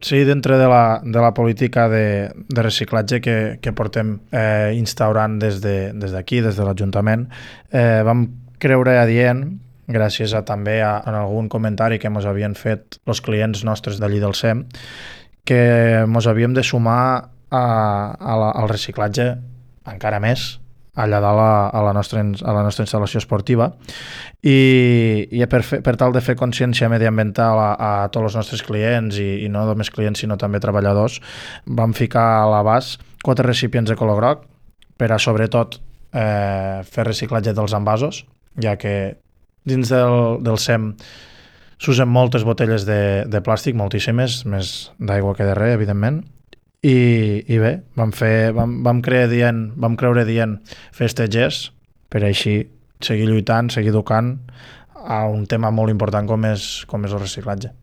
Sí, dintre de la política de reciclatge que portem instaurant des d'aquí, des de l'Ajuntament, vam creure adient, gràcies a també a algun comentari que ens havien fet els clients nostres d'allí del SEM, que ens havíem de sumar al reciclatge encara més allà dalt a la nostra instal·lació esportiva i per tal de fer consciència mediambiental a tots els nostres clients i no només clients sinó també treballadors, vam ficar a l'abast 4 recipients de color groc per a sobretot fer reciclatge dels envasos, ja que dins del SEM s'usen moltes botelles de plàstic, moltíssimes, més d'aigua que de res, evidentment, i bé, vam creure dient fer este gest per així seguir lluitant, seguir educant a un tema molt important com és el reciclatge.